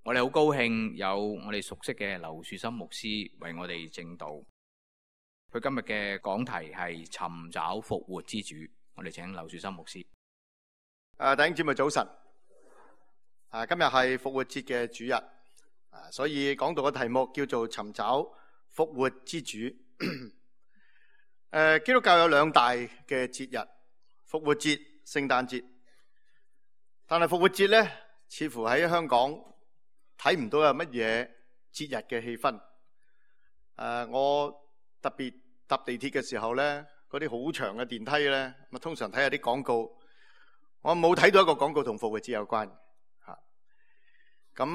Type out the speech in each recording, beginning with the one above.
我哋好高興有我哋熟悉嘅劉樹森牧師為我哋證道。佢今日嘅講題係尋找復活之主。我哋請劉樹森牧師。弟兄姊妹早晨。今日係復活節嘅主日，所以講到嘅題目叫做尋找復活之主。基督教有兩大嘅節日，復活節、聖誕節。但係復活節咧，似乎喺香港睇唔到有乜嘢節日嘅氣氛。我特別搭地鐵嘅時候咧，嗰啲好長嘅電梯咧，咁通常睇下啲廣告，我冇睇到一個廣告同復活節有關嚇。咁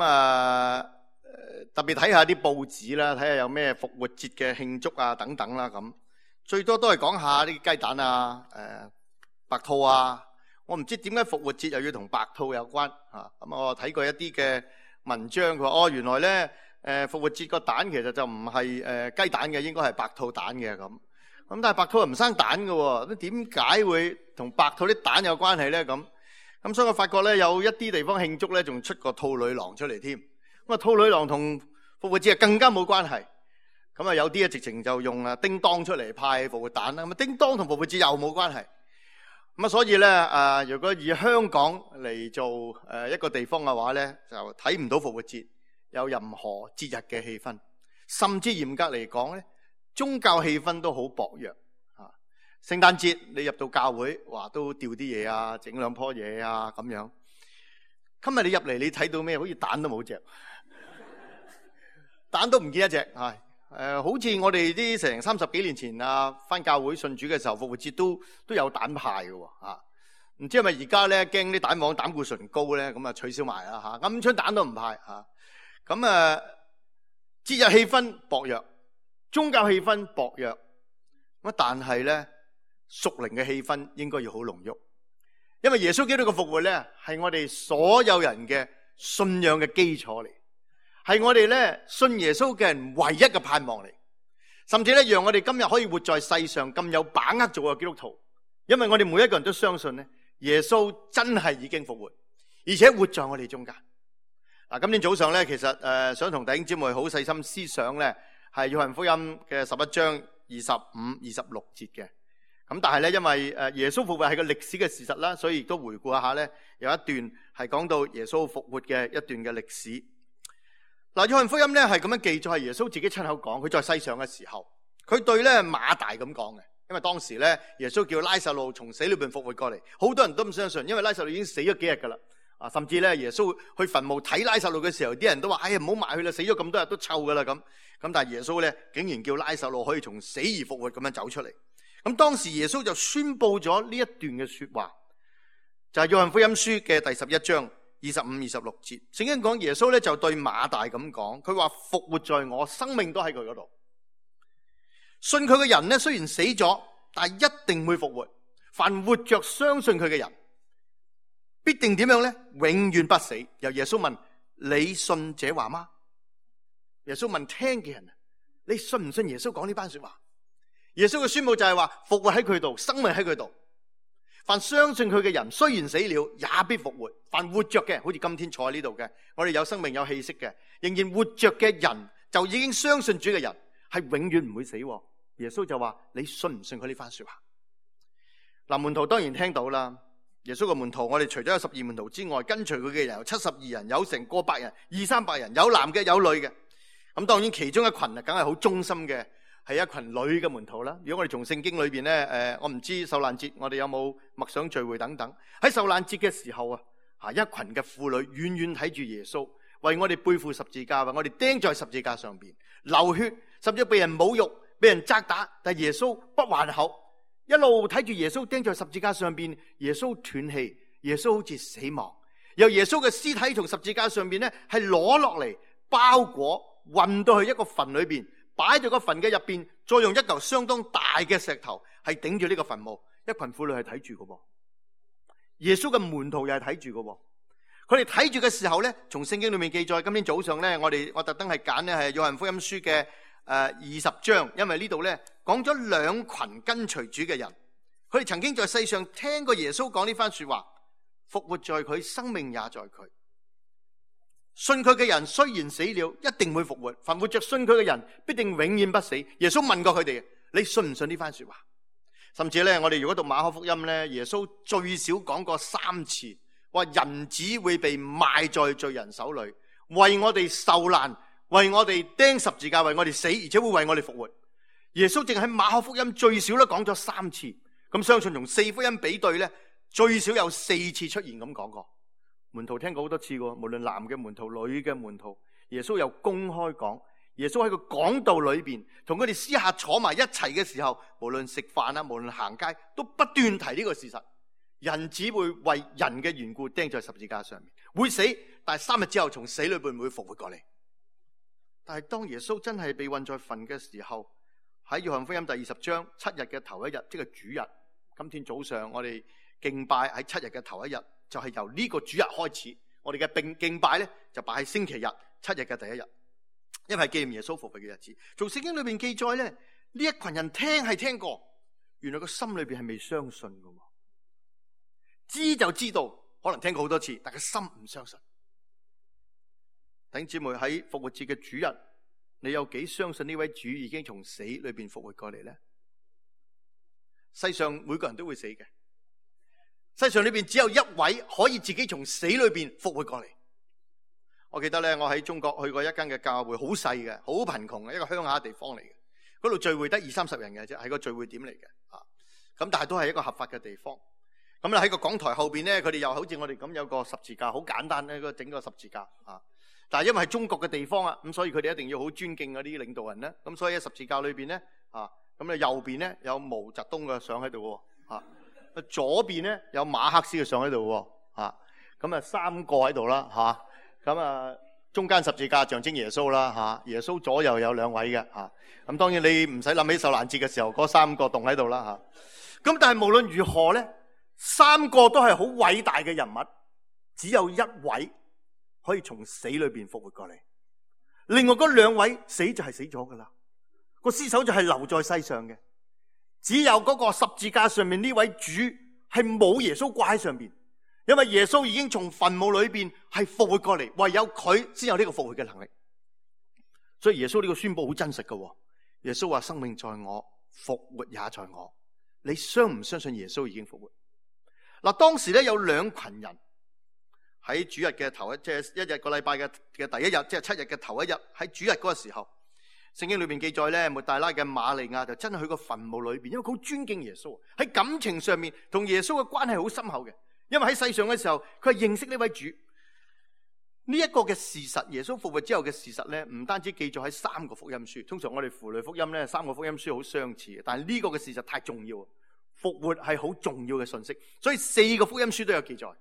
特別睇下啲報紙啦，睇下有咩復活節嘅慶祝啊等等啦咁。最多都係講下啲雞蛋啊、白兔啊。我唔知點解復活節又要同白兔有關嚇。咁我睇過一啲嘅文章，佢話原來咧復活節個蛋其實就唔係雞蛋嘅，應該係白兔蛋嘅咁。咁但係白兔又唔生蛋嘅喎，咁點解會同白兔啲蛋有關係咧？咁所以我發覺咧有一啲地方慶祝咧，仲出個兔女郎出嚟添。咁兔女郎同復活節更加冇關係。咁有啲直情就用叮當出嚟派復活蛋啦。咁叮當同復活節又冇關係。咁所以咧如果以香港嚟做一個地方嘅話咧，就睇唔到復活節有任何節日嘅氣氛，甚至嚴格嚟講咧，宗教氣氛都好薄弱啊！聖誕節你入到教會，話都掉啲嘢啊，整兩棵嘢啊咁樣。今日你入嚟，你睇到咩？好似蛋都冇隻，蛋都唔見一隻。好似我哋啲成30幾年前返教會信主嘅時候，復活節都有蛋派嘅喎。唔知係咪而家咧驚啲蛋黃膽固醇高咧，咁取消埋啦嚇，鵪鶉蛋都唔派嚇。咁節日氣氛薄弱，宗教氣氛薄弱，但係咧屬靈嘅氣氛應該要好濃郁，因為耶穌基督嘅復活咧係我哋所有人嘅信仰嘅基礎嚟，係我哋咧信耶穌嘅人唯一嘅盼望嚟，甚至咧讓我哋今日可以活在世上咁有把握做個基督徒，因為我哋每一個人都相信咧耶穌真係已經復活，而且活在我哋中間。今天早上咧，其實想同弟兄姊妹好細心思想咧，係約翰福音嘅11章25、26節嘅。咁但係咧，因為耶穌復活係個歷史嘅事實啦，所以亦都回顧一下咧，有一段係講到耶穌復活嘅一段嘅歷史。約翰福音咧係咁樣記載，係耶穌自己親口講，佢在世上嘅時候，佢對咧馬大咁講嘅。因為當時咧，耶穌叫拉撒路從死裏邊復活過嚟，好多人都唔相信，因為拉撒路已經死咗幾日噶啦。甚至咧，耶穌去墳墓睇拉撒路嘅時候，啲人都話：哎呀，唔好埋去啦，死咗咁多日都臭噶啦咁。但係耶穌咧，竟然叫拉撒路可以從死而復活咁樣走出嚟。咁當時耶穌就宣布咗呢一段嘅說話，就係約翰福音書嘅第11章25、26節。聖經講耶穌咧就對馬大咁講，佢話復活在我，生命都喺佢嗰度。信佢嘅人咧，雖然死咗，但係一定會復活。凡活着相信佢嘅人，必定點樣咧？永遠不死。由耶穌問：你信這話嗎？耶穌問聽嘅人：你信唔信耶穌講呢班說話？耶穌嘅宣布就係話：復活喺佢度，生命喺佢度。凡相信佢嘅人，雖然死了，也必復活。凡活着嘅，好似今天坐喺呢度嘅，我哋有生命有氣息嘅，仍然活着嘅人，就已經相信主嘅人，係永遠唔會死。耶穌就話：你信唔信佢呢番說話？門徒當然聽到啦。耶穌嘅門徒，我哋除咗有12門徒之外，跟隨佢嘅人有72人，有成過百人，200-300人，有男嘅有女嘅。咁當然其中一群梗係好忠心嘅，係一群女嘅門徒啦。如果我哋從聖經裏邊咧，我唔知受難節我哋有冇默想聚會等等。喺受難節嘅時候一群嘅婦女遠遠睇住耶穌，為我哋背負十字架，為我哋釘在十字架上邊流血，甚至被人侮辱、被人責打，但耶穌不還口。一路睇住耶穌釘在十字架上邊，耶穌斷氣，耶穌好似死亡。由耶穌嘅屍體從十字架上邊咧係攞落嚟，包裹運到去一個墳裏邊，擺在個墳嘅入邊，再用一嚿相當大嘅石頭係頂住呢個墳墓。一群婦女係睇住嘅，耶穌嘅門徒又係睇住嘅。佢哋睇住嘅時候咧，從聖經裏面記載，今天早上咧，我特登係揀咧係約翰福音書嘅20章，因為呢度咧講咗兩群跟隨主嘅人，佢哋曾經在世上聽過耶穌講呢番說話，復活在佢，生命也在佢。信佢嘅人雖然死了，一定會復活。凡活着信佢嘅人，必定永遠不死。耶穌問過佢哋，你信唔信呢番說話？甚至咧，我哋如果讀馬可福音咧，耶穌最少講過3次，話人子會被賣在罪人手裏，為我哋受難，為我哋釘十字架，為我哋死，而且會為我哋復活。耶穌淨喺馬可福音最少都講咗3次，咁相信從4福音比對咧，最少有4次出現咁講過。門徒聽過好多次喎，無論男嘅門徒、女嘅門徒，耶穌又公開講。耶穌喺個講道裏邊，同佢哋私下坐埋一齊嘅時候，無論食飯啊，無論行街，都不斷提呢個事實：人只會為人嘅緣故釘在十字架上面，會死，但係3日之後從死裏邊會復活過嚟。但係當耶穌真係被運在墳嘅時候，喺約翰福音第20章7日嘅頭一日，即係主日。今天早上我哋敬拜喺7日嘅頭一日，就係由呢個主日開始。我哋嘅敬拜咧就擺喺星期日7日嘅第一日。因為係紀念耶穌復活嘅日子，從聖經裏邊記載咧，呢一群人聽係聽過，原來個心裏邊係未相信㗎，知就知道，可能聽過好多次，但係個心唔相信。弟兄姊妹，喺復活節嘅主日，你有幾相信呢位主已經從死裏邊復活過嚟咧？世上每個人都會死嘅，世上裏邊只有一位可以自己從死裏邊復活過嚟。我記得咧，我喺中國去過一間嘅教會，好細嘅，好貧窮嘅一個鄉下地方嚟嘅。嗰度聚會得20-30人嘅啫，係個聚會點嚟嘅。咁但係都係一個合法嘅地方。咁咧喺個講台後邊咧，佢哋又好似我哋咁有個十字架，好簡單咧，整個十字架。但係因為係中國嘅地方啊，咁所以佢哋一定要好尊敬嗰啲領導人咧。咁所以喺十字架裏邊咧，咁咧右邊咧有毛澤東嘅相喺度喎，左邊咧有馬克思嘅相喺度喎，咁啊3個喺度啦，咁啊，中間十字架象徵耶穌啦，耶穌左右有2位嘅，咁當然你唔使諗起受難節嘅時候嗰3個棟喺度啦，咁但係無論如何咧，3個都係好偉大嘅人物，只有1位可以從死裏邊復活過嚟，另外嗰2位死就係死咗噶啦，個屍首就係留在世上嘅，只有嗰個十字架上面呢位主係冇耶穌掛喺上邊。因為耶穌已經從墳墓裏邊係復活過嚟，唯有佢先有呢個復活嘅能力。所以耶穌呢個宣布好真實嘅。耶穌話：生命在我，復活也在我。你相唔相信耶穌已經復活？嗱，當時咧有2群人喺主日嘅頭一，即係一日個禮拜嘅第一日，即係7日嘅頭一日，喺主日嗰個時候，聖經裏邊記載咧，抹大拉嘅瑪利亞就真係去個墳墓裏邊，因為佢好尊敬耶穌，喺感情上面同耶穌嘅關係好深厚嘅。因為喺世上嘅時候，佢係認識呢位主。呢一個嘅事實，耶穌復活之後嘅事實咧，唔單止記載喺3個福音書。通常我哋符類福音咧，3個福音書好相似嘅，但係呢個嘅事實太重要，復活係好重要嘅信息，所以4個福音書都有記載。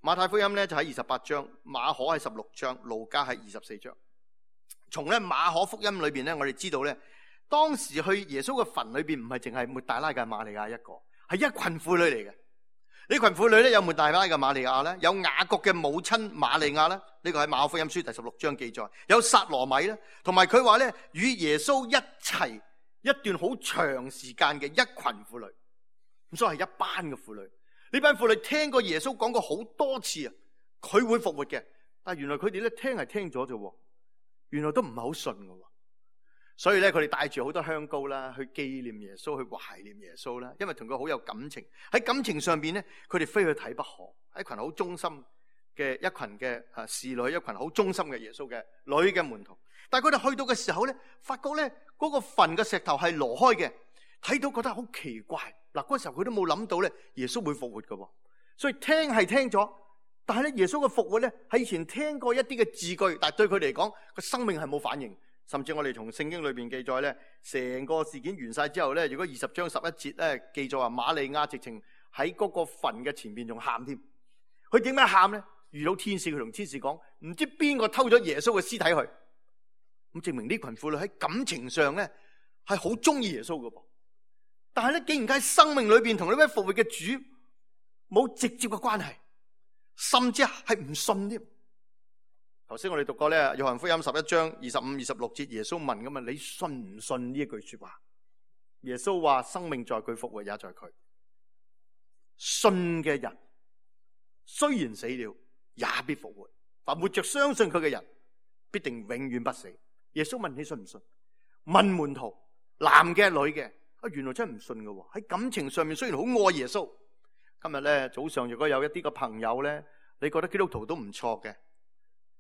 馬太福音咧就喺28章，馬可喺16章，路加喺24章。從咧馬可福音裏邊咧，我哋知道咧，當時去耶穌嘅墳裏邊唔係淨係抹大拉嘅瑪利亞一個，係一群婦女嚟嘅。呢群婦女咧有抹大拉嘅瑪利亞咧，有雅各嘅母親瑪利亞咧，呢個喺馬可福音書第16章記載，有撒羅米咧，同埋佢話咧與耶穌一齊一段好長時間嘅一群婦女，咁所以係一班嘅婦女。呢班婦女聽過耶穌講過好多次啊，佢會復活嘅，但係原來佢哋咧聽係聽咗啫，原來都唔係好信㗎。所以咧，佢哋帶住好多香膏啦，去紀念耶穌，去懷念耶穌啦。因為同佢好有感情，喺感情上邊咧，佢哋非去睇不可。一群好忠心嘅一群嘅侍女，一群好忠心嘅耶穌嘅女嘅門徒。但係佢哋去到嘅時候咧，發覺咧嗰個墳嘅石頭係挪開嘅，睇到覺得好奇怪。嗱，嗰時候佢都冇諗到咧，耶穌會復活㗎。所以聽係聽咗，但係咧耶穌嘅復活咧，喺以前聽過一啲嘅字句，但係對佢嚟講個生命係冇反應。甚至我哋從聖經裏邊記載咧，成個事件完晒之後咧，如果20章11節咧記載話，瑪利亞直情喺嗰個墳嘅前邊仲喊添。佢點解喊咧？遇到天使，佢同天使講，唔知邊個偷咗耶穌嘅屍體去。咁證明呢群婦女喺感情上咧係好中意耶穌㗎噃。但係咧，竟然喺生命裏邊同呢位復活嘅主冇直接嘅關係，甚至係唔信添。頭先我哋讀過咧，約翰福音11章25、26節，耶穌問咁啊，你信唔信呢一句說話？耶穌話：生命在佢，復活也在佢。信嘅人雖然死了，也必復活。但活着相信佢嘅人必定永遠不死。耶穌問你信唔信？問門徒，男嘅女嘅，原來真係唔信嘅。喺感情上面雖然好愛耶穌。今日咧早上如果有一啲個朋友咧，你覺得基督徒都唔錯嘅，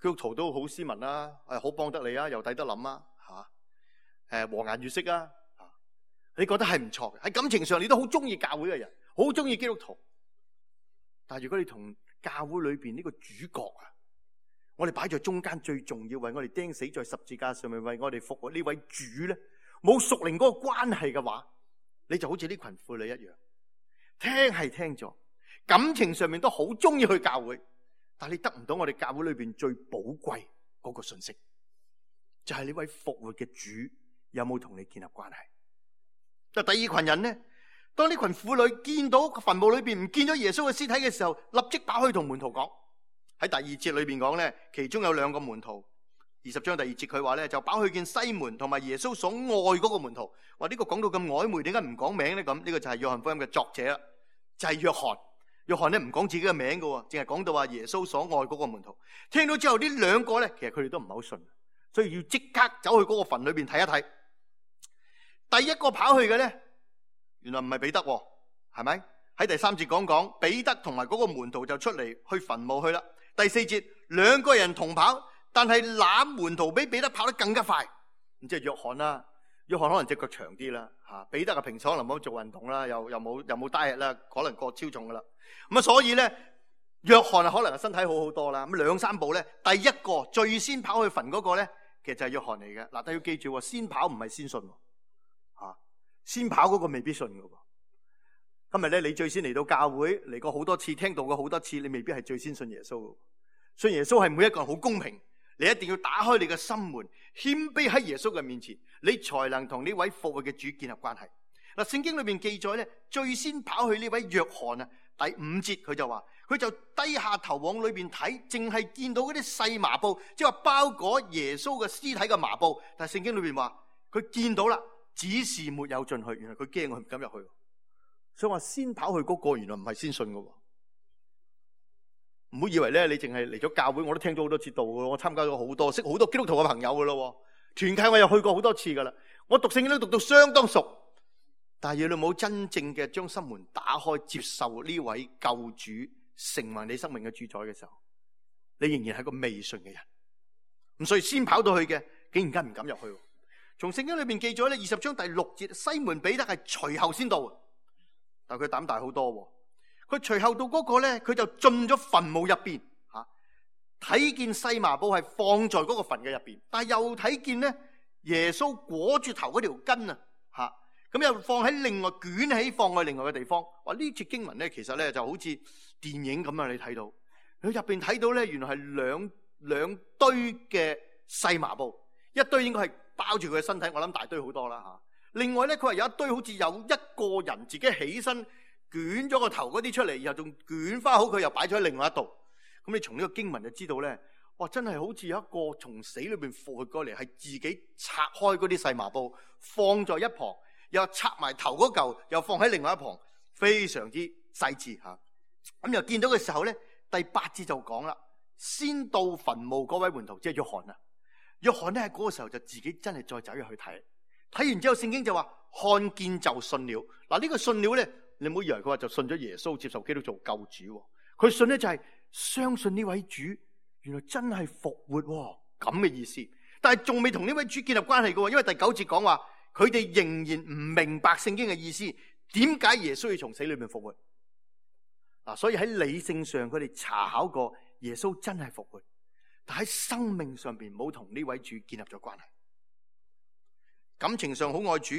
基督徒都好斯文啦，好幫得你啊，又抵得諗啊，和顏悅色啊，你覺得係唔錯嘅。喺感情上你都好中意教會嘅人，好中意基督徒。但係如果你同教會裏邊呢個主角啊，我哋擺在中間最重要，為我哋釘死在十字架上面，為我哋復活呢位主咧，冇屬靈嗰個關係嘅話，你就好似呢群婦女一樣，聽係聽咗，感情上面都好中意去教會，但係你得唔到我哋教會裏邊最寶貴嗰個信息，就係呢位復活嘅主有冇同你建立關係。第二群人呢，當呢群婦女見到墳墓裏邊唔見咗耶穌嘅屍體嘅時候，立即跑去同門徒講。喺第二節裏邊講咧，其中有兩個門徒，20章第2節佢話咧，就跑去見西門同埋耶穌所愛嗰個門徒。話呢個講到咁曖昧，點解唔講名咧？咁呢個就係約翰福音嘅作者啦，就係約翰。約翰咧唔講自己嘅名嘅，淨係講到話耶穌所愛嗰個門徒。聽到之後呢兩個咧，其實佢哋都唔係好信，所以要即刻走去嗰個墳裏邊睇一睇。第一個跑去嘅咧，原來唔係彼得，係咪？喺第3節講彼得同埋嗰個門徒就出嚟去墳墓去啦。第4節兩個人同跑，但係那門徒比彼得跑得更加快。咁即係約翰啦，約翰可能隻腳長啲啦，彼得嘅平常可能冇做運動啦，又冇單日啦，可能過超重噶啦。咁啊，所以咧約翰啊，可能係身體好好多啦。咁2-3步咧，第一個最先跑去墳嗰個咧，其實就係約翰嚟嘅。嗱，但要記住，先跑唔係先信，先跑嗰個未必信噶。今日咧，你最先嚟到教會嚟過好多次，聽到過好多次，你未必係最先信耶穌。信耶穌係每一個人好公平，你一定要打開你嘅心門，謙卑喺耶穌嘅面前，你才能同呢位復活嘅主建立關係。嗱，聖經裏邊記載咧，最先跑去呢位約翰啊，第5節佢就話，佢就低下頭往裏邊睇，淨係見到嗰啲細麻布，即係話包裹耶穌嘅屍體嘅麻布。但係聖經裏邊話，佢見到啦，只是沒有進去。原來佢驚，佢唔敢入去。所以話先跑去嗰個，原來唔係先信嘅。唔好以為咧，你淨係嚟咗教會，我都聽咗好多次道嘅，我參加咗好多，識好多基督徒嘅朋友嘅咯。團契我又去過好多次噶啦，我讀聖經都讀到相當熟。但係你冇真正嘅將心門打開，接受呢位救主成為你生命嘅主宰嘅時候，你仍然係個未信嘅人。咁所以先跑到去嘅，竟然間唔敢入去。從聖經裏邊記咗咧，20章第6節，西門彼得係隨後先到。但佢膽大好多，佢隨後到嗰個咧，佢就進咗墳墓入邊，睇見細麻布係放在嗰個墳嘅入邊，但係又睇見咧耶穌裹住頭嗰條巾啊，咁又放喺另外捲起放喺另外嘅地方。哇！呢節經文咧，其實咧就好似電影咁啊！你睇到佢入邊睇到咧，原來係兩堆嘅細麻布，一堆應該係包住佢嘅身體，我諗大堆好多啦。另外咧，佢話有一堆好似有一個人自己起身捲咗個頭嗰啲出嚟，然後仲捲翻好佢，又擺咗喺另外一度。咁你從呢個經文就知道咧，哇！真係好似有一個從死裏邊復活過嚟，係自己拆開嗰啲細麻布放在一旁，又拆埋頭嗰嚿，又放喺另外一旁，非常之細緻嚇。咁又見到嘅時候咧，第8節就講啦，先到墳墓嗰位門徒即係約翰啊。約翰咧喺嗰個時候就自己真係再走入去睇。睇完之後，聖經就話看見就信了。嗱，呢個信了咧，你唔好以為佢話就信咗耶穌，接受基督做救主。佢信咧就係相信呢位主原來真係復活咁嘅意思。但係仲未同呢位主建立關係嘅，因為第9節講話佢哋仍然唔明白聖經嘅意思，點解耶穌要從死裏面復活？嗱，所以喺理性上佢哋查考過耶穌真係復活，但喺生命上邊冇同呢位主建立咗關係。感情上好愛主，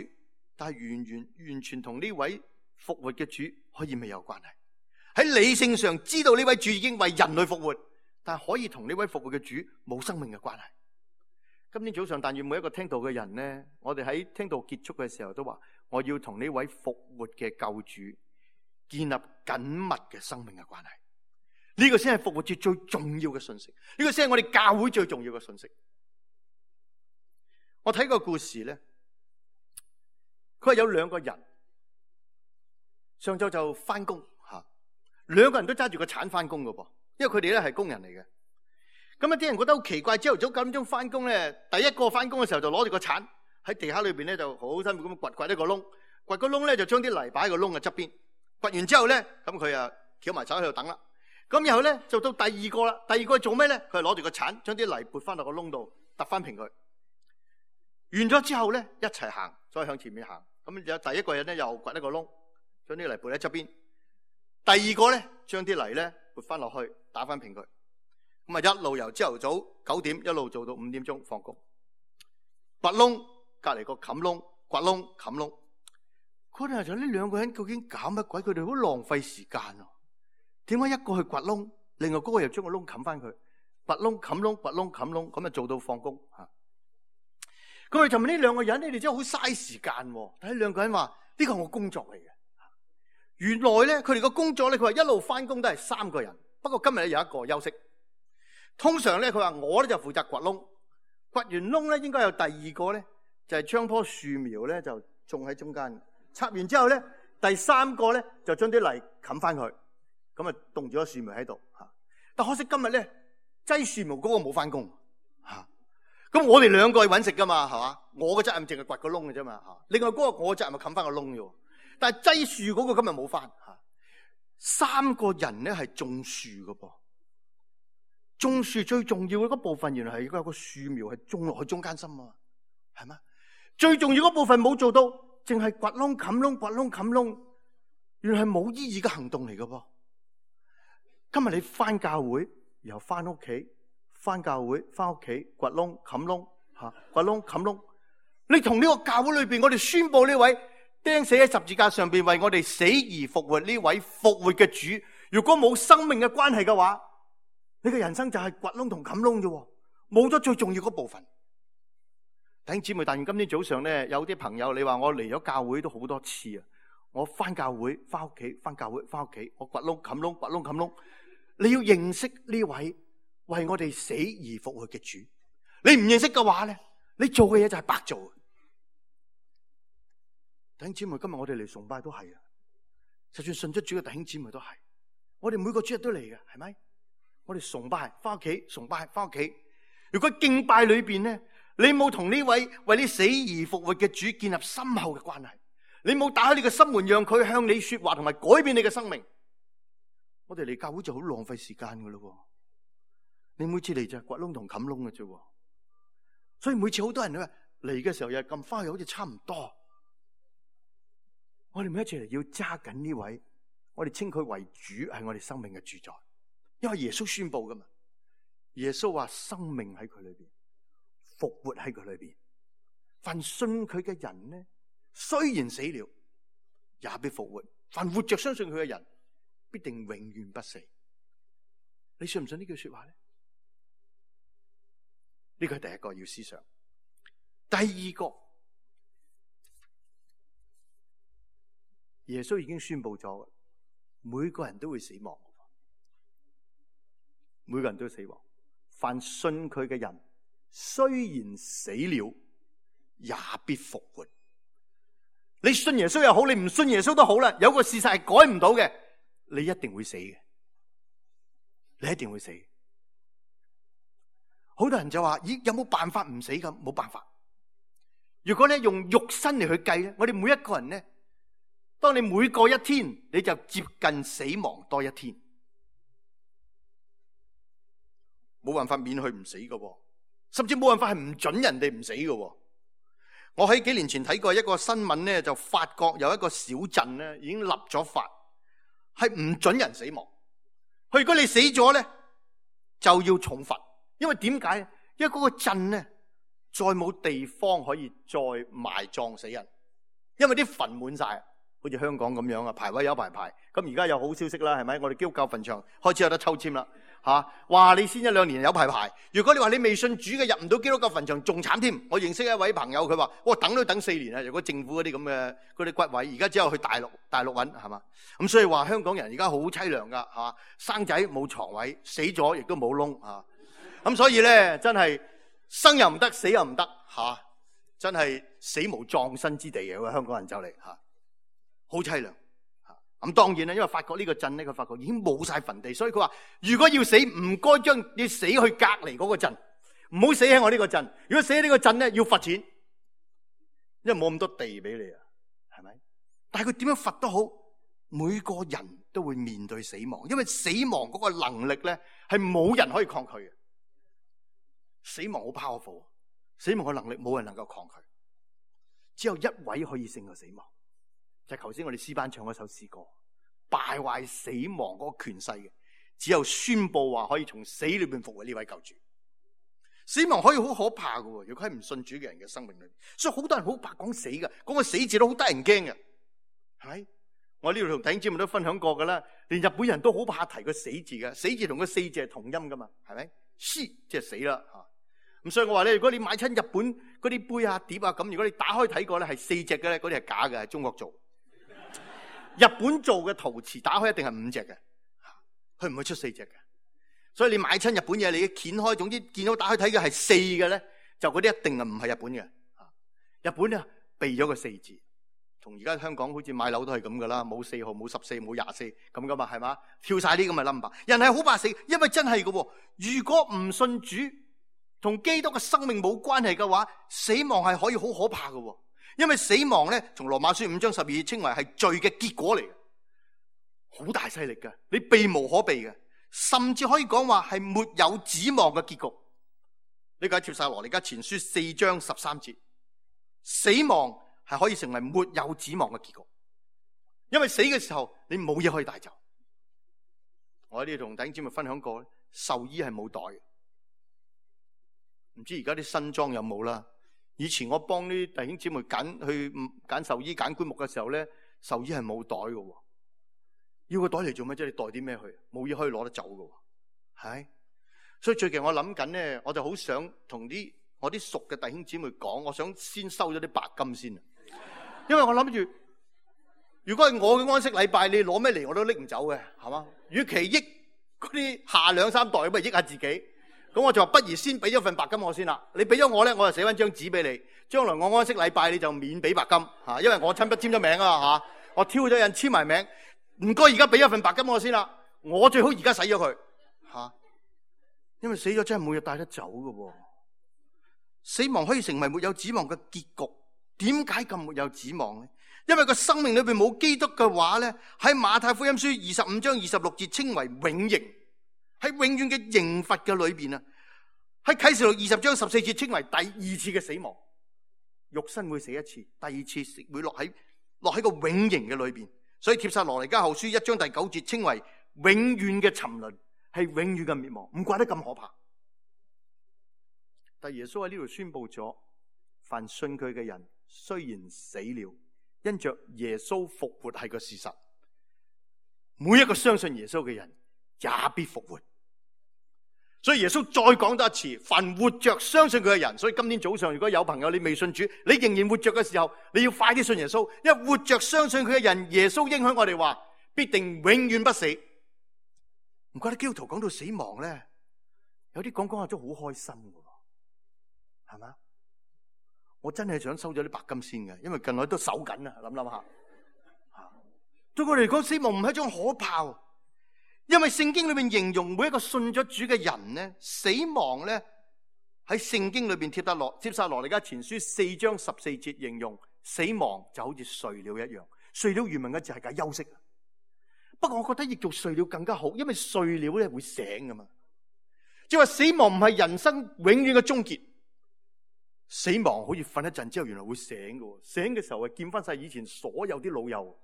但係完全同呢位復活嘅主可以未有關係。喺理性上知道呢位主已經為人類復活，但係可以同呢位復活嘅主冇生命嘅關係。今天早上但願每一個聽道嘅人呢，我哋喺聽道結束嘅時候都話，我要同呢位復活嘅救主建立緊密嘅生命嘅關係。呢個先係復活節最重要嘅信息，呢個先係我哋教會最重要嘅信息。我睇個故事咧，佢係有兩個人，上晝就翻工吓，兩個人都揸住個鏟翻工噶噃，因為佢哋咧係工人嚟嘅。咁啲人覺得好奇怪，朝頭早9點鐘翻工咧，第一個翻工嘅時候就攞住個鏟喺地下裏邊咧，就好辛苦咁掘一個窿，掘個窿咧就將啲泥擺喺個窿嘅側邊，掘完之後咧，咁佢啊翹埋手喺度等啦。咁然後咧就到第二個啦，第二個做咩咧？佢係攞住個鏟將啲泥撥翻落個窿度，揼翻平佢。完咗之後咧，一齊行，再向前面行。咁有第一個人咧又掘一個窿，將啲泥撥喺側邊。第二個咧將啲泥咧撥翻落去，打翻平佢。咁啊一路由朝頭早9點一路做到5點鐘放工。掘窿，隔離個冚窿，掘窿冚窿。嗰陣就呢兩個人究竟搞乜鬼？佢哋好浪費時間啊！點解一個去掘窿，另外嗰個又將個窿冚翻佢？掘窿冚窿，掘窿冚窿，咁啊做到放工嚇。咁我哋就問呢兩個人，你哋真係好嘥時間喎！睇兩個人話呢個係我工作嚟嘅。原來咧佢哋個工作咧，佢話一路翻工都係3個人，不過今日咧有一個休息。通常咧佢話我咧就負責掘窿，掘完窿咧應該有第二個咧就係將棵樹苗咧就種喺中間，插完之後咧第3個咧就將啲泥冚翻佢，咁啊凍住咗樹苗喺度嚇。但可惜今日咧擠樹苗嗰個冇翻工嚇。咁我哋兩個去揾食噶嘛，係嘛？我嘅責任淨係掘個窿嘅啫嘛嚇。另外嗰個我嘅責任係冚翻個窿啫。但係擠樹嗰個今日冇翻嚇。3個人咧係種樹嘅噃，種樹最重要嘅嗰部分原來係有個樹苗係種落去中間心啊，係嘛？最重要嗰部分冇做到，淨係掘窿冚窿，掘窿冚窿，原來係冇意義嘅行動嚟嘅噃。今日你翻教會，然後翻屋企。翻教會，翻屋企，掘窿冚窿嚇，掘窿冚窿。你同呢個教會裏邊，我哋宣佈呢位釘死喺十字架上邊為我哋死而復活呢位復活嘅主，如果冇生命嘅關係嘅話，你嘅人生就係掘窿同冚窿啫，冇咗最重要嗰部分。弟兄姊妹，但願今天早上咧，有啲朋友你話我嚟咗教會都好多次啊，我翻教會，翻屋企，翻教會，翻屋企，我掘窿冚窿，掘窿冚窿。你要認識呢位為我哋死而復活嘅主，你唔認識嘅話咧，你做嘅嘢就係白做。弟兄姊妹，今日我哋嚟崇拜都係啊，就算信咗主嘅弟兄姊妹都係，我哋每個主日都嚟嘅，係咪？我哋崇拜翻屋企，崇拜翻屋企。如果敬拜裏邊咧，你冇同呢位為你死而復活嘅主建立深厚嘅關係，你冇打開你嘅心門，讓佢向你說話同埋改變你嘅生命，我哋嚟教會就好浪費時間噶咯。你每次嚟就係掘窿同冚窿嘅啫，所以每次好多人咧嚟嘅時候又係咁翻去，好似差唔多。我哋每一次嚟要揸緊呢位，我哋稱佢為主，係我哋生命嘅主宰，因為耶穌宣布噶嘛。耶穌話生命喺佢裏邊，復活喺佢裏邊。凡信佢嘅人呢，雖然死了，也必復活。凡活着相信佢嘅人，必定永遠不死。你信唔信呢句說話咧？呢個係第一個要思想。第二個，耶穌已經宣布咗，每個人都會死亡，每個人都會死亡。凡信佢嘅人，雖然死了，也必復活。你信耶穌又好，你唔信耶穌都好啦。有個事實係改唔到嘅，你一定會死嘅，你一定會死。好多人就話：咦，有冇辦法唔死㗎？冇辦法。如果咧用肉身嚟去計咧，我哋每一個人咧，當你每過一天，你就接近死亡多一天，冇辦法免去唔死㗎，甚至冇辦法係唔准人哋唔死㗎。我喺幾年前睇過一個新聞咧，就法國有一個小鎮咧，已經立咗法，係唔准人死亡。佢如果你死咗咧，就要重罰。因為點解？因為嗰個鎮咧，再冇地方可以再埋葬死人，因為啲墳滿晒，好似香港咁樣啊，排位有排。咁而家有好消息啦，係咪？我哋基督教墳場開始有得抽籤啦，吓，話你先1-2年有排。如果你話你未信主嘅入唔到基督教墳場，仲慘添。我認識一位朋友，佢話：我等都等4年啊！如果政府嗰啲咁嘅嗰啲骨位，而家只有去大陸揾，係嘛？咁所以話香港人而家好凄涼噶，吓，生仔冇床位，死咗亦都冇窿啊！咁所以咧，真係生又唔得，死又唔得，吓，真係死無葬身之地嘅。香港人就嚟吓，好凄涼吓。咁當然啦，因為法國呢個鎮咧，佢發覺已經冇晒墳地，所以佢話如果要死，唔該要死去隔離嗰個鎮，唔好死喺我呢個鎮。如果死喺呢個鎮咧，要罰錢，因為冇咁多地俾你啊，係咪？但係佢點樣罰都好，每個人都會面對死亡，因為死亡嗰個能力咧係冇人可以抗拒嘅。死亡好 powerful， 死亡嘅能力冇人能夠抗拒，只有一位可以勝過死亡，就係頭先我哋詩班唱嗰首詩歌，敗壞死亡嗰個權勢嘅，只有宣布話可以從死裏邊復活呢位救主。死亡可以好可怕嘅，如果喺唔信主嘅人嘅生命裏面，所以好多人好怕講死嘅，講個死字都好得人驚嘅，係咪？我呢度同弟兄姊妹都分享過噶啦，連日本人都好怕提個死字嘅，死字同個四字係同音噶嘛，係咪？死即係死啦吓。咁所以我話咧，如果你買親日本嗰啲杯啊碟啊咁，如果你打開睇過咧係四隻嘅咧，嗰啲係假嘅，係中國做。日本做嘅陶瓷打開一定係5隻嘅，佢唔會出4隻嘅。所以你買親日本嘢，你掀開，總之見到打開睇嘅係4嘅咧，就嗰啲一定係唔係日本嘅。日本咧避咗個4字，同而家香港好似買樓都係咁噶啦，冇4號、冇14、冇24咁噶嘛，係嘛？跳晒啲咁嘅 number， 人係好怕死，因為真係嘅。如果唔信主，同基督嘅生命冇關係嘅話，死亡係可以好可怕嘅。因為死亡咧，從羅馬書5章12節稱為係罪嘅結果嚟嘅，好大勢力嘅，你避無可避嘅，甚至可以講話係沒有指望嘅結局。呢個喺帖撒羅尼迦前書4章13節，死亡係可以成為沒有指望嘅結局，因為死嘅時候你冇嘢可以帶走。我喺呢度同弟兄姊妹分享過，壽衣係冇袋嘅。唔知而家啲新裝有冇啦？以前我幫啲弟兄姊妹揀壽衣、揀棺木嘅時候咧，壽衣係冇袋嘅。要個袋嚟做咩啫？你袋啲咩去？冇嘢可以攞得走嘅，係。所以最近我諗緊咧，我就好想同我啲熟嘅弟兄姊妹講，我想先收咗啲白金先，因為我諗住，如果係我嘅安息禮拜，你攞咩嚟我都拎唔走嘅，係嘛？與其益嗰啲下2、3代，不如益下自己。咁我就話不如先俾咗份白金我先啦。你俾咗我咧，我就寫翻張紙俾你。將來我安息禮拜你就免俾白金吓，因為我親筆簽咗名啊吓，我挑咗印簽埋名。唔該，而家俾咗份白金我先啦。我最好而家使咗佢吓，因為死咗真係冇嘢帶得走噶。死亡可以成為沒有指望嘅結局。點解咁沒有指望咧？因為個生命裏邊冇基督嘅話咧，喺馬太福音書25章26節稱為永刑。喺永遠嘅刑罰嘅裏邊啊，喺啟示錄20章14節稱為第2次嘅死亡，肉身會死一次，第2次會落喺個永刑嘅裏邊。所以帖撒羅尼迦後書1章第9節稱為永遠嘅沉淪，係永遠嘅滅亡。唔怪得咁可怕。但耶穌喺呢度宣布咗，凡信佢嘅人雖然死了，因着耶穌復活係個事實，每一個相信耶穌嘅人也必復活。所以耶穌再講多一次，凡活着相信佢嘅人。所以今天早上如果有朋友你未信主，你仍然活着嘅時候，你要快啲信耶穌，因為活着相信佢嘅人，耶穌應許我哋話必定永遠不死。唔怪得基督徒講到死亡咧，有啲講下都好開心嘅，係嘛？我真係想收咗啲白金先嘅，因為近來都守緊啊，諗下。對我嚟講，死亡唔係一種可怕。因為聖經裏面形容每一個信咗主嘅人咧，死亡咧喺聖經裏邊帖撒羅尼迦前書4章14節形容死亡就好似睡了一樣。睡了原文嘅字係解休息。不過我覺得譯做睡了更加好，因為睡了咧會醒噶嘛。即係話死亡唔係人生永遠嘅終結，死亡好似瞓一陣之後原來會醒嘅，醒嘅時候係見翻晒以前所有啲老友。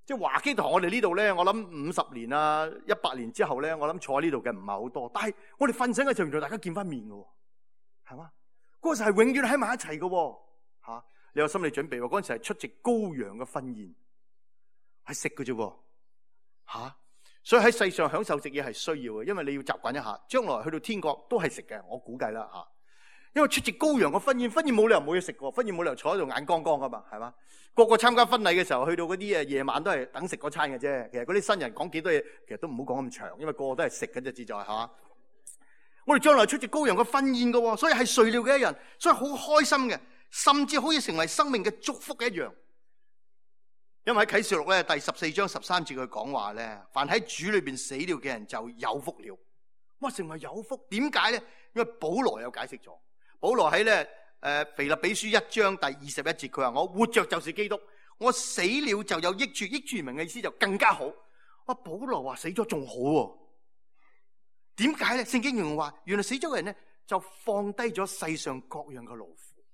即係華基堂我哋呢度咧，我諗50年啊100年之後咧，我諗坐喺呢度嘅唔係好多，但係我哋瞓醒嘅時候，原來大家見翻面嘅，係嘛？嗰時係永遠喺埋一齊嘅，吓，你有心理準備喎。嗰陣時係出席羔羊嘅婚宴，係食嘅啫，吓。所以喺世上享受食嘢係需要嘅，因為你要習慣一下，將來去到天國都係食嘅，我估計啦吓。因為出席羔羊嘅婚宴冇理由冇嘢食嘅，婚宴冇理由坐喺度眼光光噶嘛，係嘛？個個參加婚禮嘅時候，去到嗰啲夜晚都係等食嗰餐嘅啫。其實嗰啲新人講幾多嘢，其實都唔好講咁長，因為個個都係食嘅啫，自在吓。我哋將來出席羔羊嘅婚宴嘅，所以係睡了嘅一人，所以好開心嘅，甚至可以成為生命嘅祝福一樣。因為喺啟示錄咧第14章13節佢講話咧，凡喺主裏邊死了嘅人就有福了。哇，成為有福，點解咧？因為保羅有解釋咗。保羅喺咧腓立比書1章第21節，佢話我活着就是基督，我死了就有益處。益處名嘅意思就更加好。哇，保羅話死咗仲好喎。點解咧？聖經形容話，原來死咗嘅人咧就放低咗世上各樣嘅勞苦，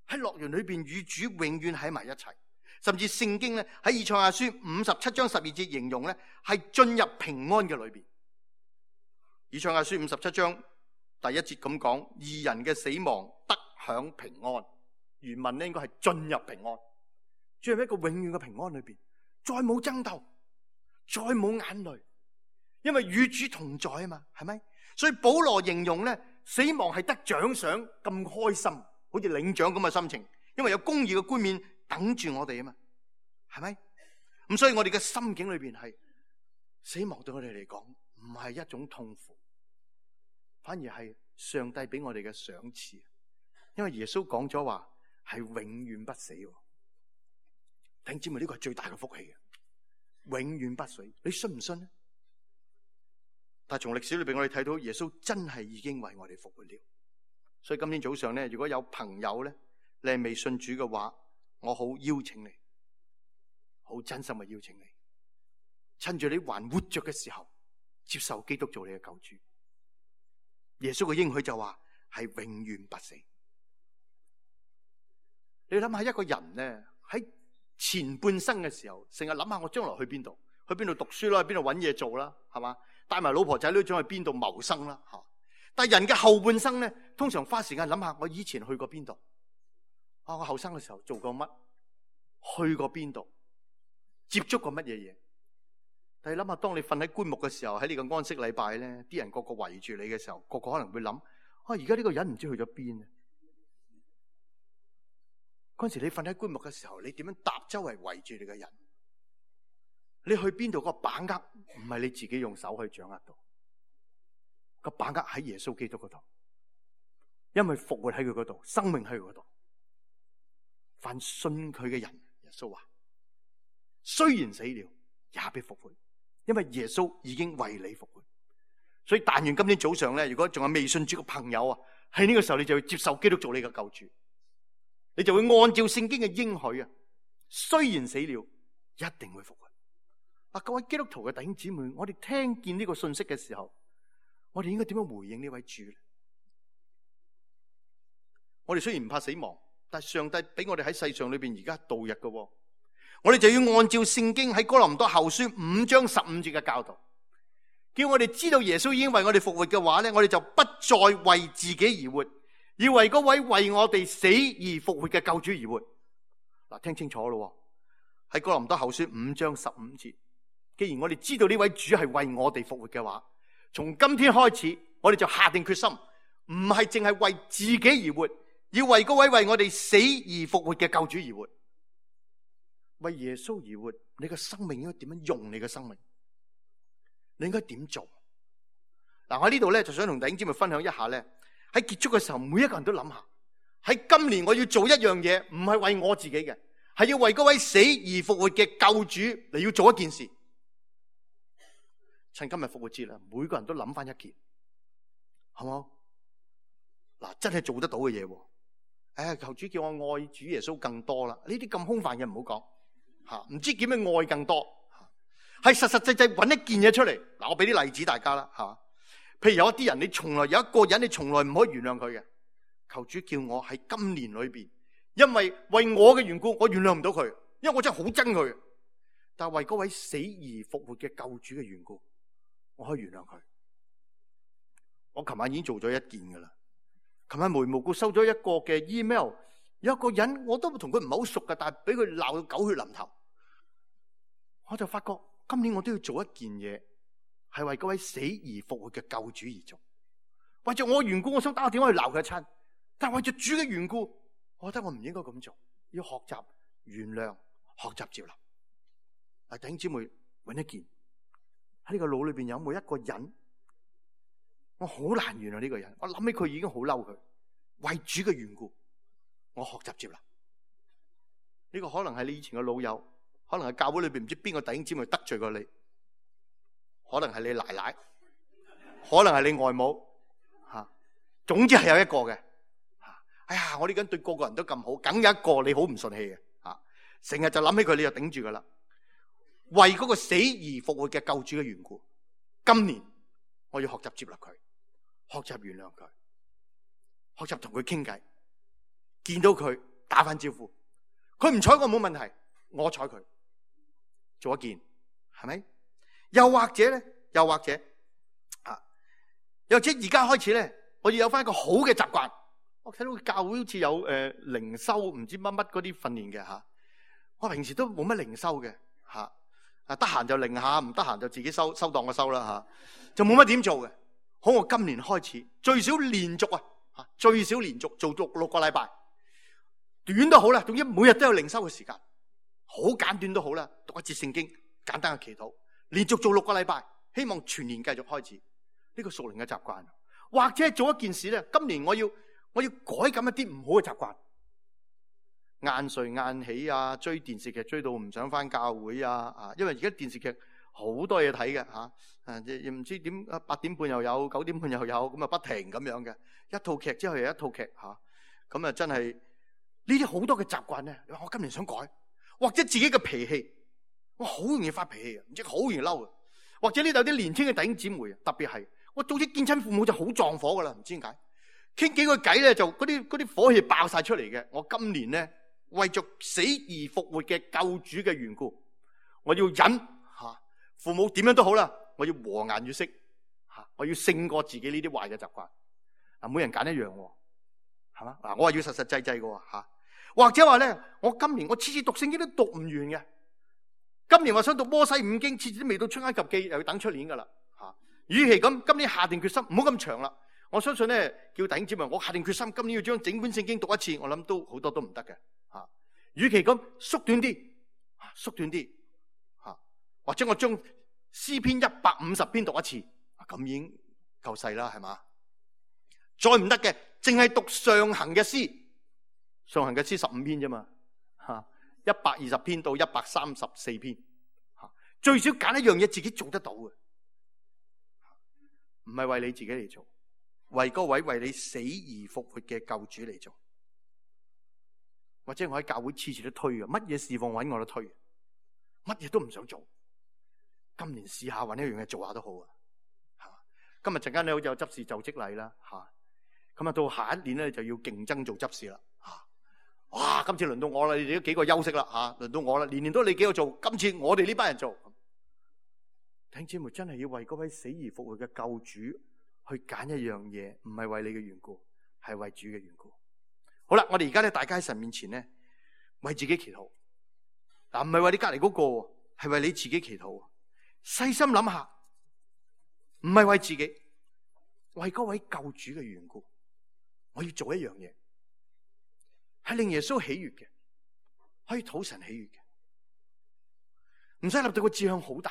喺樂園裏邊與主永遠喺埋一齊。甚至聖經咧喺以賽亞書57章12節形容咧係進入平安嘅裏邊。以賽亞書57章第1節咁講，義人嘅死亡得享平安。原文咧應該係進入平安，進入一個永遠嘅平安裏邊，再冇爭鬥，再冇眼淚，因為與主同在啊嘛，係咪？所以保羅形容咧死亡係得獎賞咁開心，好似領獎咁嘅心情，因為有公義嘅冠冕等住我哋啊嘛，係咪？咁所以我哋嘅心境裏邊係死亡對我哋嚟講唔係一種痛苦，反而係上帝俾我哋嘅賞賜。因為耶穌講咗話係永遠不死，弟兄姊妹，呢個係最大嘅福氣嘅，永遠不死。你信唔信呢？但係從歷史裏邊我哋睇到耶穌真係已經為我哋復活了。所以今天早上咧，如果有朋友咧你係未信主嘅話，我好邀請你，好真心嘅邀請你，趁住你還活着嘅時候，接受基督做你嘅救主。耶穌嘅應許就話係永遠不死。你諗下一個人咧喺前半生嘅時候，成日諗下我將來去邊度讀書啦，去邊度搵嘢做啦，係嘛？帶埋老婆仔女想去邊度謀生啦，吓。但係人嘅後半生咧，通常花時間諗下我以前去過邊度。我後生嘅時候做過乜？去過邊度？接觸過乜嘢嘢？但係諗下，當你瞓喺棺木嘅時候，喺呢個安息禮拜咧，啲人個個圍住你嘅時候，個個可能會諗：而家呢個人唔知去咗邊啊！嗰陣時你瞓喺棺木嘅時候，你點樣搭周圍圍住你嘅人？你去邊度？個把握唔係你自己用手可以掌握到，個把握喺耶穌基督嗰度，因為復活喺佢嗰度，生命喺佢嗰度。凡信佢嘅人，耶穌話，雖然死了，也必復活，因為耶穌已經為你復活。所以但願今天早上咧，如果仲有未信主嘅朋友啊，喺呢個時候你就要接受基督做你嘅救主，你就會按照聖經嘅應許啊，雖然死了，一定會復活。各位基督徒嘅弟兄姊妹，我哋聽見呢個信息嘅時候，我哋應該點樣回應呢位主呢？我哋雖然唔怕死亡，但係上帝俾我哋喺世上裏邊而家度日嘅，我哋就要按照聖經喺哥林多後書5章15節嘅教導，叫我哋知道耶穌已經為我哋復活嘅話咧，我哋就不再為自己而活，要為嗰位為我哋死而復活嘅救主而活。嗱，聽清楚咯，喺哥林多後書5章15節，既然我哋知道呢位主係為我哋復活嘅話，從今天開始，我哋就下定決心，唔係淨係為自己而活，要為嗰位為我哋死而復活嘅救主而活。為耶穌而活，你嘅生命應該點樣用？你嘅生命，你應該點做？嗱，我喺呢度咧就想同弟兄姊妹分享一下咧，喺結束嘅時候，每一個人都諗下，喺今年我要做一樣嘢，唔係為我自己嘅，係要為嗰位死而復活嘅救主嚟要做一件事。趁今日復活節啦，每個人都諗翻一件，好冇？嗱，真係做得到嘅嘢。求主叫我愛主耶穌更多啦。呢啲咁空泛嘅唔好講吓，唔知點樣愛更多，係實實際際揾一件嘢出嚟。嗱，我俾啲例子大家啦吓。譬如有一啲人，你從來有一個人，你從來唔可以原諒佢嘅。求主叫我喺今年裏邊，因為為我嘅緣故，我原諒唔到佢，因為我真係好憎佢。但係為嗰位死而復活嘅救主嘅緣故，我可以原諒佢。我琴晚已經做咗一件噶啦。琴晚無緣無故收咗一個嘅 email， 有一個人我都同佢唔係好熟嘅，但係俾佢鬧到狗血淋頭。我就發覺今年我都要做一件嘢，係為嗰位死而復活嘅救主而做。為咗我嘅緣故，我想打個電話去鬧佢一餐，但係為咗主嘅緣故，我覺得我唔應該咁做，要學習原諒，學習接納。弟兄姊妹，揾一件喺呢個腦裏邊有冇一個人？我好難原諒呢個人，我諗起佢已經好嬲佢。為主嘅緣故，我學習接納。呢個可能係你以前嘅老友，可能係教會裏邊唔知邊個弟兄姊妹得罪過你，可能係你奶奶，可能係你外母吓，總之係有一個嘅吓。哎呀，我呢緊對個個人都咁好，梗有一個你好唔順氣嘅吓，成日就諗起佢，你就頂住噶啦。為嗰個死而復活嘅救主嘅緣故，今年我要學習接納佢，學習原諒佢，學習同佢傾偈，見到佢打翻招呼，佢唔睬我冇問題，我睬佢，做一件，係咪？又或者咧，又或者而家開始咧，我要有翻一個好嘅習慣。我睇到教會好似有靈修唔知乜乜嗰啲訓練嘅吓，我平時都冇乜靈修嘅吓。得閒就靈下，唔得閒就自己收檔個收啦吓，就冇乜點做嘅。好，我今年開始最少連續最少連續做6個禮拜，短都好啦，總之每日都有靈修嘅時間，好簡短都好啦，讀一節聖經，簡單嘅祈禱，連續做6個禮拜，希望全年繼續開始呢個屬靈嘅習慣。或者做一件事咧，今年我要改咁一啲唔好嘅習慣。晏睡晏起啊，追電視劇追到唔想翻教會啊！因為而家電視劇好多嘢睇嘅吓，唔知點8點半又有，9點半又有，咁啊不停咁樣嘅，一套劇之後又一套劇吓，咁啊真係呢啲好多嘅習慣咧。我今年想改，或者自己嘅脾氣，我好容易發脾氣嘅，唔知好容易嬲嘅，或者呢度有啲年輕嘅弟兄姊妹，特別係我早啲見親父母就好撞火噶啦，唔知點解傾幾個偈咧就嗰啲火氣爆晒出嚟嘅。我今年咧，為着死而復活嘅救主嘅緣故，我要忍吓，父母點樣都好啦，我要和顏悅色吓，我要勝過自己呢啲壞嘅習慣。每人揀一樣，係嘛？我係要實實際際嘅吓，或者話咧，我今年我次次讀聖經都讀唔完嘅。今年我想讀摩西五經，次次都未到出埃及記，又要等出年噶啦吓。與其咁，今年下定決心唔好咁長啦。我相信咧，叫弟兄姊妹，我下定決心，今年要將整本聖經讀一次，我諗都好多都唔得嘅。與其咁縮短啲或者我將詩篇150篇讀一次，咁已經夠細啦，係嘛？再唔得嘅，淨係讀上行嘅詩，上行嘅詩15篇啫嘛，120篇到134篇，最少揀一樣嘢自己做得到嘅，唔係為你自己嚟做，為嗰位為你死而復活嘅救主嚟做。或者我喺教會次次都推嘅，乜嘢侍奉揾我都推，乜嘢都唔想做。今年試下揾一樣嘢做下都好啊！今日陣間咧好似有執事就職禮啦，咁啊到下一年咧就要競爭做執事啦，哇！今次輪到我啦，你哋都幾個休息啦，輪到我啦，年年都你幾個做，今次我哋呢班人做。弟兄姊妹真係要為嗰位死而復活嘅救主去揀一樣嘢，唔係為你嘅緣故，係為主嘅緣故。好啦，我哋而家咧，大家喺神面前咧，為自己祈禱。唔係為你隔籬嗰個，係為你自己祈禱。細心諗下，唔係為自己，為嗰位救主嘅緣故，我要做一樣嘢，係令耶穌喜悅嘅，可以討神喜悅嘅，唔使立到個志向好大。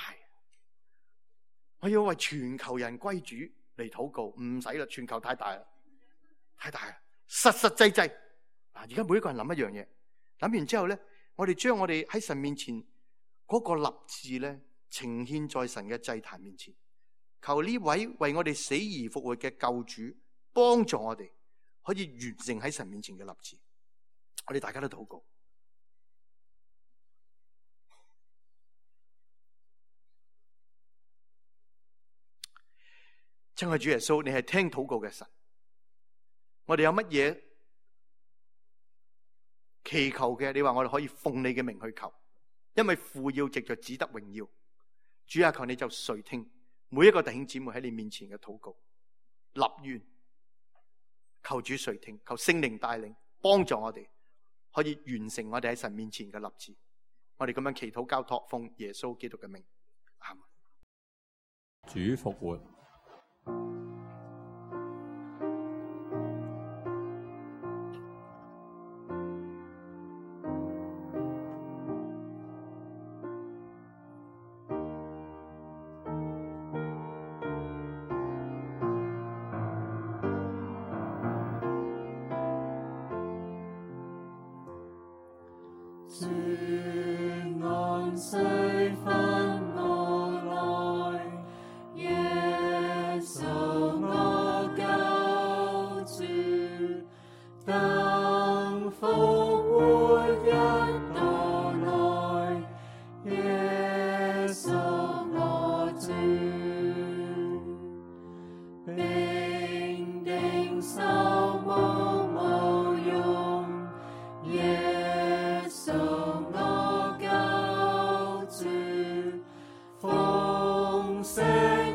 我要為全球人歸主嚟禱告，唔使啦，全球太大啦，太大啦，實實際際。而家每一個人諗一樣嘢，諗完之後咧，我哋將我哋喺神面前嗰個立志咧，呈獻在神嘅祭壇面前，求呢位為我哋死而復活嘅救主幫助我哋，可以完成喺神面前嘅立志。我哋大家都禱告。親愛主耶穌，你係聽禱告嘅神，我哋有乜嘢祈求嘅，你話我哋可以奉你嘅名去求，因為父要藉着子得榮耀。主啊，求你就垂聽每一個弟兄姊妹喺你面前嘅禱告，立願求主垂聽，求聖靈帶領幫助我哋，可以完成我哋喺神面前嘅立志。我哋咁樣祈禱交託，奉耶穌基督嘅名，阿們。主復活。主安息分我來，耶穌我救主，當復活日到來，耶穌我主，並定守我無用，耶穌我救主，豐盛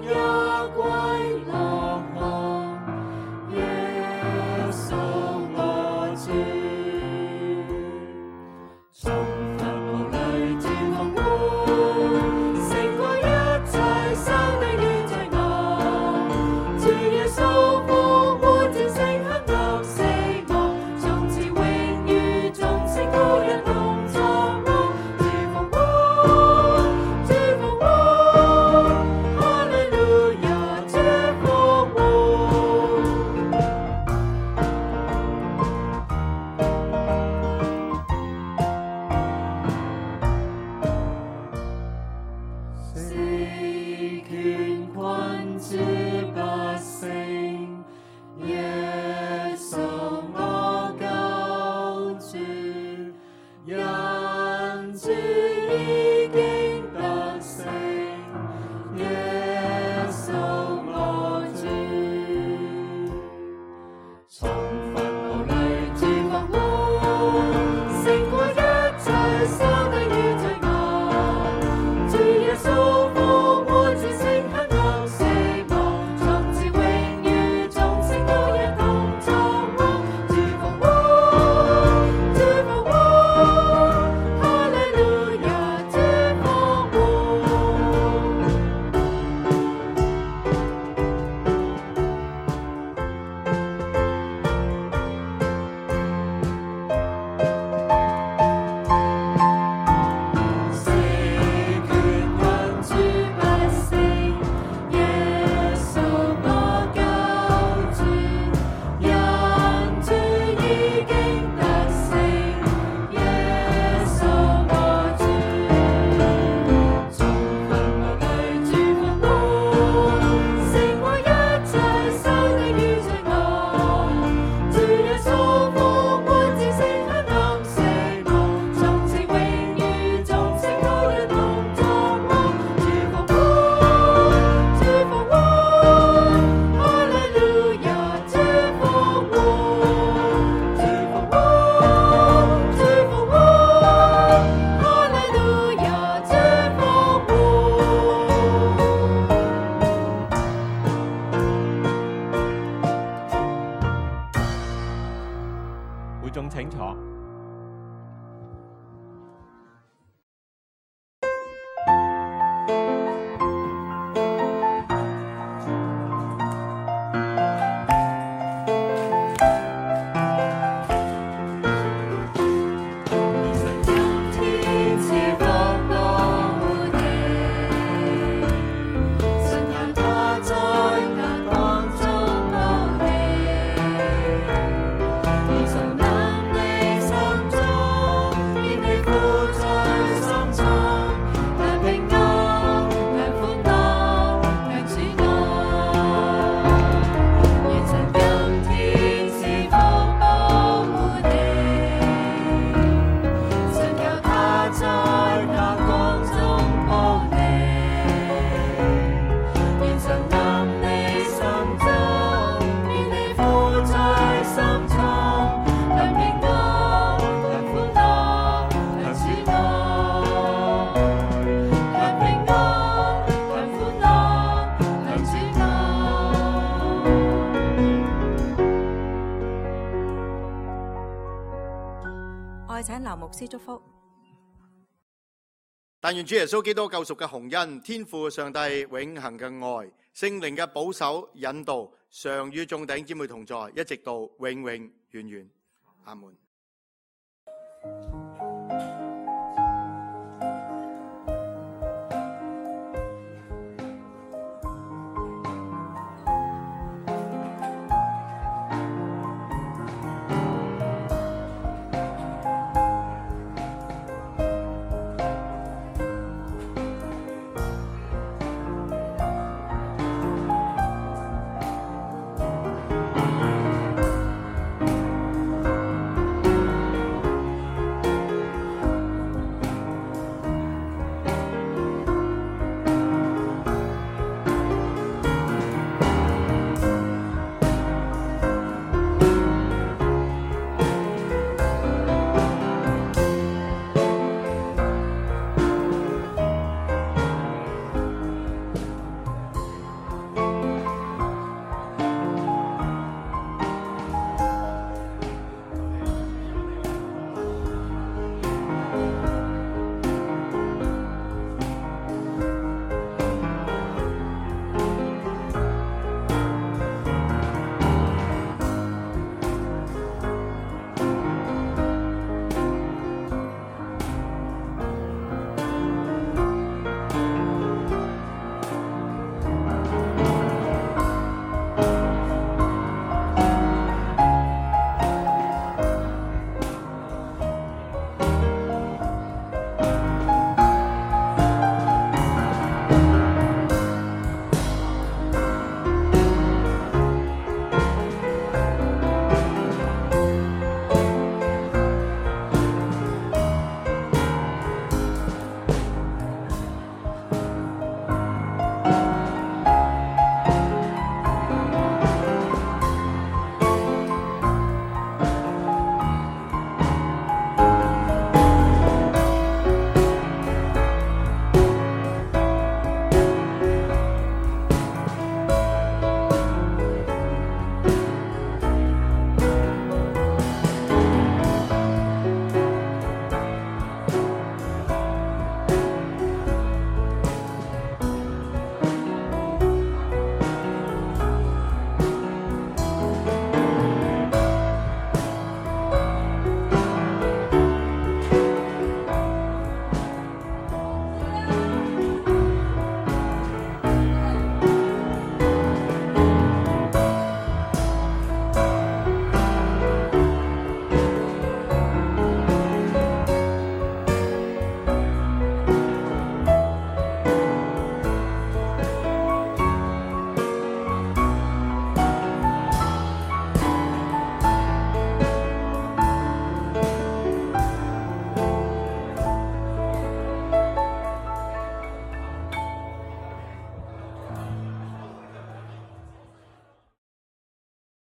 也歸落空，耶穌我主，從墳墓裏主復活，勝過一切生命與罪惡，主耶穌復活戰勝黑暗死亡，從此永遠眾聖徒一同作樂，主復活，主復活，哈利路亞，主復活。是權困住百姓，耶穌我救主，因主已經得勝，耶穌我主，從墳墓裏主復活，勝過一切生命與罪惡，主耶穌復活戰勝黑暗死亡，從此永遠眾聖徒一同作樂，主復活，主復活，哈利路亞，主復活。是權困住百姓，耶穌我救主，因主已經得勝，耶穌我主，從墳墓裏主復活，勝過一切生命與罪惡，主耶穌復活戰勝黑暗死亡，從此永遠眾聖徒一同作樂，主復活，主復活，哈利路亞，主復活，主復活，主復活，哈利路亞，主復活。會眾請坐。天賜福我哋，神讓他在那光中冒起，而神能你心中，願你富在心中，但平安，但歡樂，但主愛，願神今天賜福我哋。神教他在那光中冒起，願神臨你心中，願你富在心中，但平安，但歡樂，但主愛，但平安，但歡樂，但主愛。我請劉牧師祝福。但願主耶穌基督救贖嘅洪恩、天父上帝永恆嘅愛、聖靈嘅保守引導，常與眾弟兄姊妹同在，一直到永永遠遠。阿門。